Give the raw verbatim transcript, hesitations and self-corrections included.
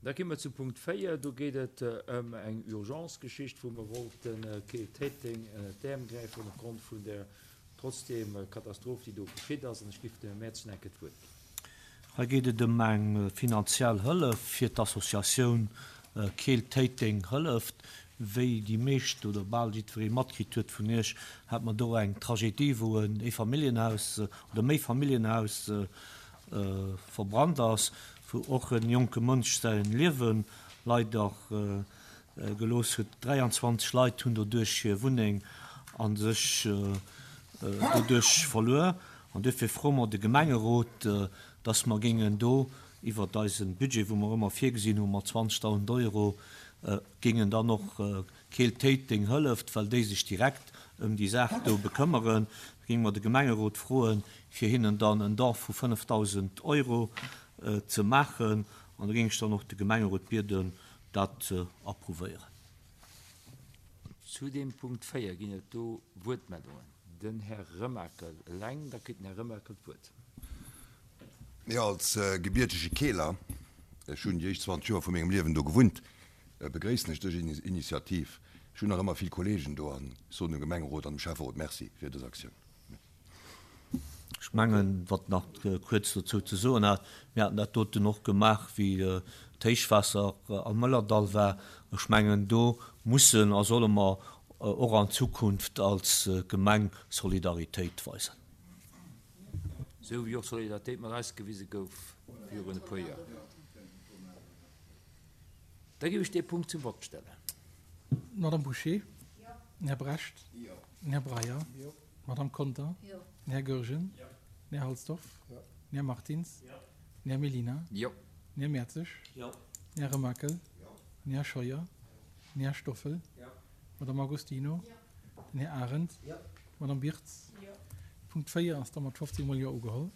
Da gi mer zu Punkt véier. Do geet et ëm eng Urgence-Geschicht, wou mer wollten Keel-Téiteng ënnert d'Äerm gräifen opgrond vun der trotzdem Katastroph, déi do geschitt ass. An ech giff dem Här Mertz nach eng Kéier d'Wuert ginn. Hei geet et ëm eng finanziell Hëllef fir d'Associatioun Keel-Téiteng hëlleft. Wéi déi meescht oder bal jiddweree matkritt huet vun Iech, hat mer do eng Tragedie, wou en Eefamilljenhaus oder Méifamilljenhaus verbrannt ass, wou och en jonke Mënsch säin Liewe leider gelooss huet. dräianzwanzeg Leit hunn doduerch hir Wunneng a sech doduerch verluer. An duerfir froe mer de Gemengerot, dass mer géingen do iwwert eise Budget, wou mer ëmmer virgesinn hu mat zwanzegdausend Euro, géingen dann och Keel-Téiteng hëlleft, well déi sech direkt ëm déi Saach do bekëmmeren, géinge mer de Gemengerot froen, fir hinnen dann en Don vu fënnefdausend Euro ze maachen. An da géing ech dann och de Gemengerot bieden, dat ze approuvéieren. Zu deem Punkt véier ginn et do Wuertmeldungen. Den Här Remakel eleng. Da kritt den Här Remakel d'Wuert. Jo, als gebiertege Keeler, ech hunn déi éischt zwanzeg Joer vu mengem Liewen do gewunnt, begréissen ech dës Initiativ. Ech hunn nach ëmmer vill Kolleegen do an soen dem Gemengerot an dem Schäfferot Merci fir dës Aktioun. Ech mengen, wat nach kuerz dozou ze soen hat, mir haten dat doten och gemaach, wéi d'Héichwaasser am Mëllerdall war. Ech mengen, do mussen a solle mer och an Zukunft als Gemeng Solidaritéit weisen. Esou wéi och Solidaritéit mat eis gewise gouf virun e puer Joer. Da géif ech dee Punkt zum Vott stellen. D'Madame Bouché? Den Här Brecht? Den Här Breyer? D'Madame Conter? Den Här Goergen? Den Här Halsdorf? Den Här Martins? Den Här Mellina? Den Här Mertzig? Den Här Remakel? Den Här Scheuer? Den Här Stoffel? D'Madame Agostino? Den Här Arendt? D'Madame Birtz? Punkt véier ass da mat fofzéng mol Jo ugeholl.